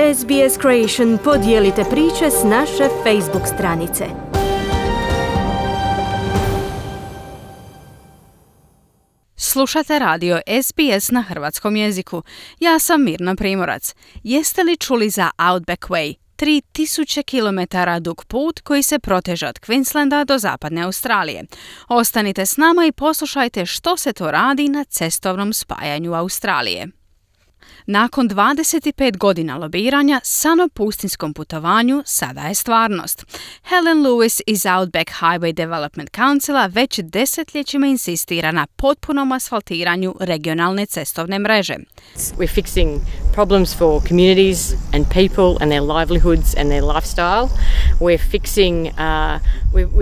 SBS Creation podijelite priče s naše Facebook stranice. Slušate radio SBS na hrvatskom jeziku. Ja sam Mirna Primorac. Jeste li čuli za Outback Way? 3000 km dug put koji se proteže od Queenslanda do zapadne Australije. Ostanite s nama i poslušajte što se to radi na cestovnom spajanju Australije. Nakon 25 godina lobiranja, san o pustinskom putovanju sada je stvarnost. Helen Lewis iz Outback Highway Development Councila već desetljećima insistira na potpunom asfaltiranju regionalne cestovne mreže. We're fixing problems for communities and people and their livelihoods and their lifestyle. We're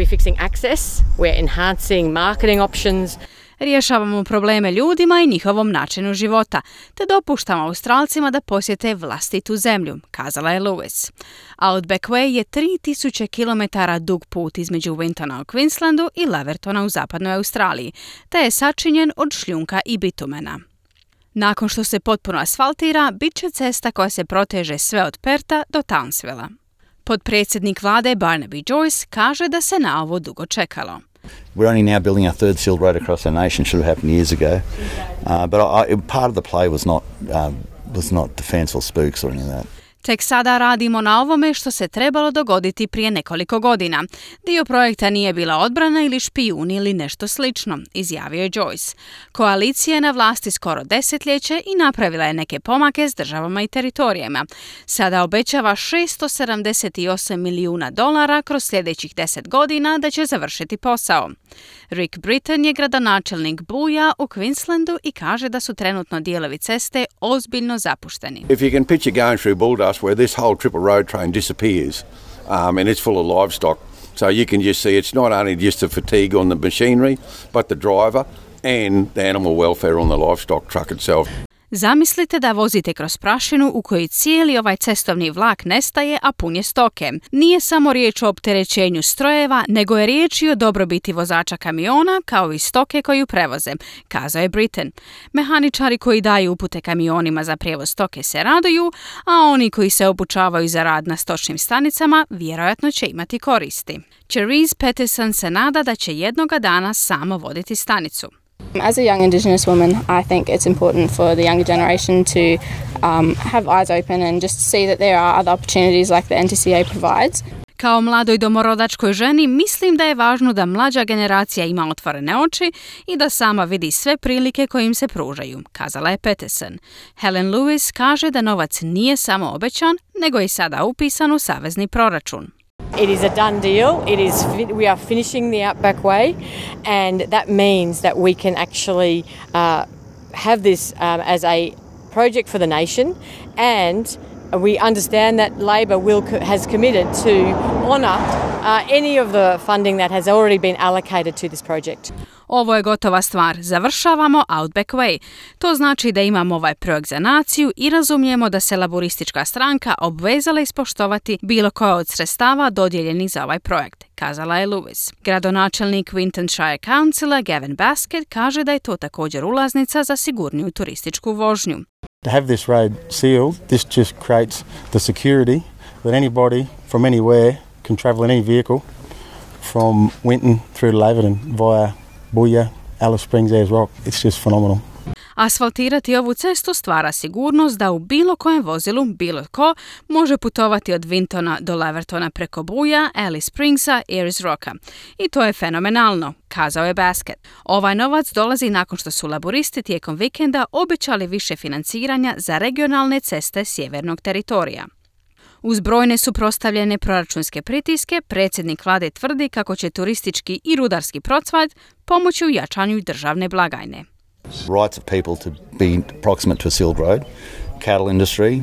fixing access. We're enhancing marketing options. Rješavamo probleme ljudima i njihovom načinu života, te dopuštamo Australcima da posjete vlastitu zemlju, kazala je Lewis. Outback Way je 3000 km dug put između Wintona u Queenslandu i Lavertona u zapadnoj Australiji, te je sačinjen od šljunka i bitumena. Nakon što se potpuno asfaltira, bit će cesta koja se proteže sve od Perta do Townsvilla. Potpredsjednik vlade Barnaby Joyce kaže da se na ovo dugo čekalo. We're only now building our third sealed road across our nation. Should have happened years ago. Part of the play was not the fanciful spooks or anything like that. Tek sada radimo na ovome što se trebalo dogoditi prije nekoliko godina. Dio projekta nije bila odbrana ili špijuni ili nešto slično, izjavio je Joyce. Koalicija je na vlasti skoro desetljeće i napravila je neke pomake s državama i teritorijama. Sada obećava $678 milijuna kroz sljedećih 10 godina da će završiti posao. Rick Britton je gradonačelnik Booya u Queenslandu i kaže da su trenutno dijelovi ceste ozbiljno zapušteni. If you can picture going through Bulldust where this whole triple road train disappears and it's full of livestock, so you can just see it's not only just the fatigue on the machinery, but the driver and the animal welfare on the livestock truck itself. Zamislite da vozite kroz prašinu u kojoj cijeli ovaj cestovni vlak nestaje, a pun je stoke. Nije samo riječ o opterećenju strojeva, nego je riječ i o dobrobiti vozača kamiona, kao i stoke koju prevoze, kazao je Britton. Mehaničari koji daju upute kamionima za prijevoz stoke se raduju, a oni koji se obučavaju za rad na stočnim stanicama vjerojatno će imati koristi. Cherise Peterson se nada da će jednoga dana samo voditi stanicu. As a young Indigenous woman, I think it's important for the younger generation to have eyes open and just see that there are other opportunities like the NTCA provides. Kao mladoj domorodačkoj ženi mislim da je važno da mlađa generacija ima otvorene oči i da sama vidi sve prilike koje im se pružaju, kazala je Peterson. Helen Lewis kaže da novac nije samo obećan, nego je sada upisan u savezni proračun. It is a done deal. We are finishing the Outback Way, and that means that we can actually have this as a project for the nation, and we understand that Labor has committed to honour any of the funding that has already been allocated to this project. Ovo je gotova stvar. Završavamo Outback Way. To znači da imamo ovaj projekt za naciju i razumijemo da se laboristička stranka obvezala ispoštovati bilo koja od sredstava dodijeljenih za ovaj projekt, kazala je Lewis. Gradonačelnik Wintonshire Councila Gavin Baskett kaže da je to također ulaznica za sigurniju turističku vožnju. To have this road sealed, this just creates the security that anybody from anywhere can travel in any vehicle from Winton through to Laverton via Booya, Alice Springs, Ayers Rock. It's just phenomenal. Asfaltirati ovu cestu stvara sigurnost da u bilo kojem vozilu bilo ko može putovati od Wintona do Lavertona preko Booya, Alice Springsa, Ayers Rocka. I to je fenomenalno, kazao je Baskett. Ovaj novac dolazi nakon što su laboristi tijekom vikenda obećali više financiranja za regionalne ceste sjevernog teritorija. Uz brojne suprotstavljene proračunske pritiske, predsjednik vlade tvrdi kako će turistički i rudarski procvat pomoći u jačanju državne blagajne. Rights of people to be proximate to a sealed road, cattle industry,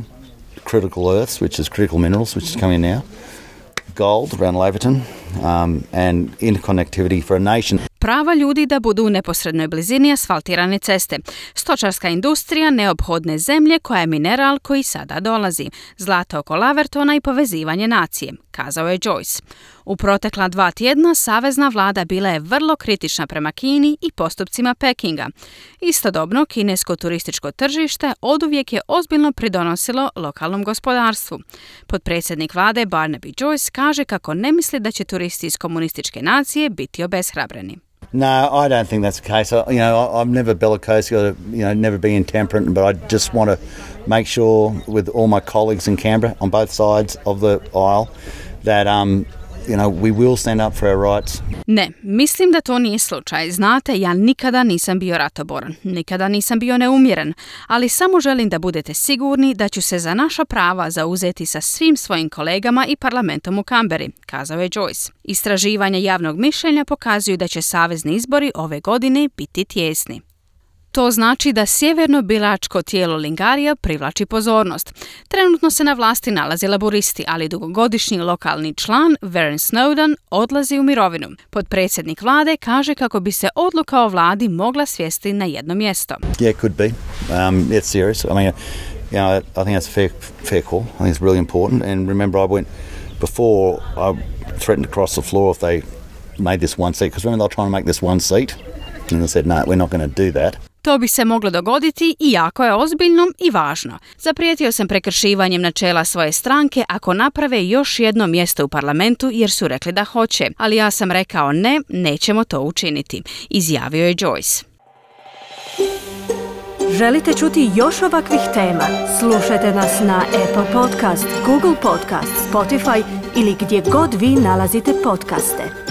critical earths, which is critical minerals, which is coming now, gold around Laverton, and interconnectivity for a nation. prava ljudi da budu u neposrednoj blizini asfaltirane ceste, stočarska industrija neophodne zemlje koja je mineral koji sada dolazi, zlato oko Lavertona i povezivanje nacije, kazao je Joyce. U protekla 2 tjedna savezna vlada bila je vrlo kritična prema Kini i postupcima Pekinga. Istodobno, kinesko turističko tržište oduvijek je ozbiljno pridonosilo lokalnom gospodarstvu. Potpredsjednik vlade Barnaby Joyce kaže kako ne misli da će turisti iz komunističke nacije biti obeshrabreni. No, I don't think that's the case. I'm never bellicose, never be intemperate, but I just want to make sure with all my colleagues in Canberra on both sides of the aisle that we will stand up for our rights. Ne, mislim da to nije slučaj. Znate, ja nikada nisam bio ratoboran, nikada nisam bio neumjeren, ali samo želim da budete sigurni da ću se za naša prava zauzeti sa svim svojim kolegama i parlamentom u Kamberi, kazao je Joyce. Istraživanja javnog mišljenja pokazuju da će savezni izbori ove godine biti tijesni. To znači da sjeverno biračko tijelo Lingarija privlači pozornost. Trenutno se na vlasti nalaze laboristi, ali dugogodišnji lokalni član Vern Snowden odlazi u mirovinu. Potpredsjednik vlade kaže kako bi se odluka o vladi mogla svesti na jedno mjesto. Yeah, could be. It's serious. I mean, I think that's a fair call. I think it's really important. And remember, I threatened to cross the floor if they made this one seat. Because remember, they were trying to make this one seat. And I said, no, we're not going to do that. To bi se moglo dogoditi i jako je ozbiljno i važno. Zaprijetio sam prekršivanjem načela svoje stranke ako naprave još jedno mjesto u parlamentu jer su rekli da hoće, ali ja sam rekao ne, nećemo to učiniti, izjavio je Joyce. Želite čuti još ovakvih tema? Slušajte nas na Apple Podcast, Google Podcast, Spotify ili gdje god vi nalazite podcaste.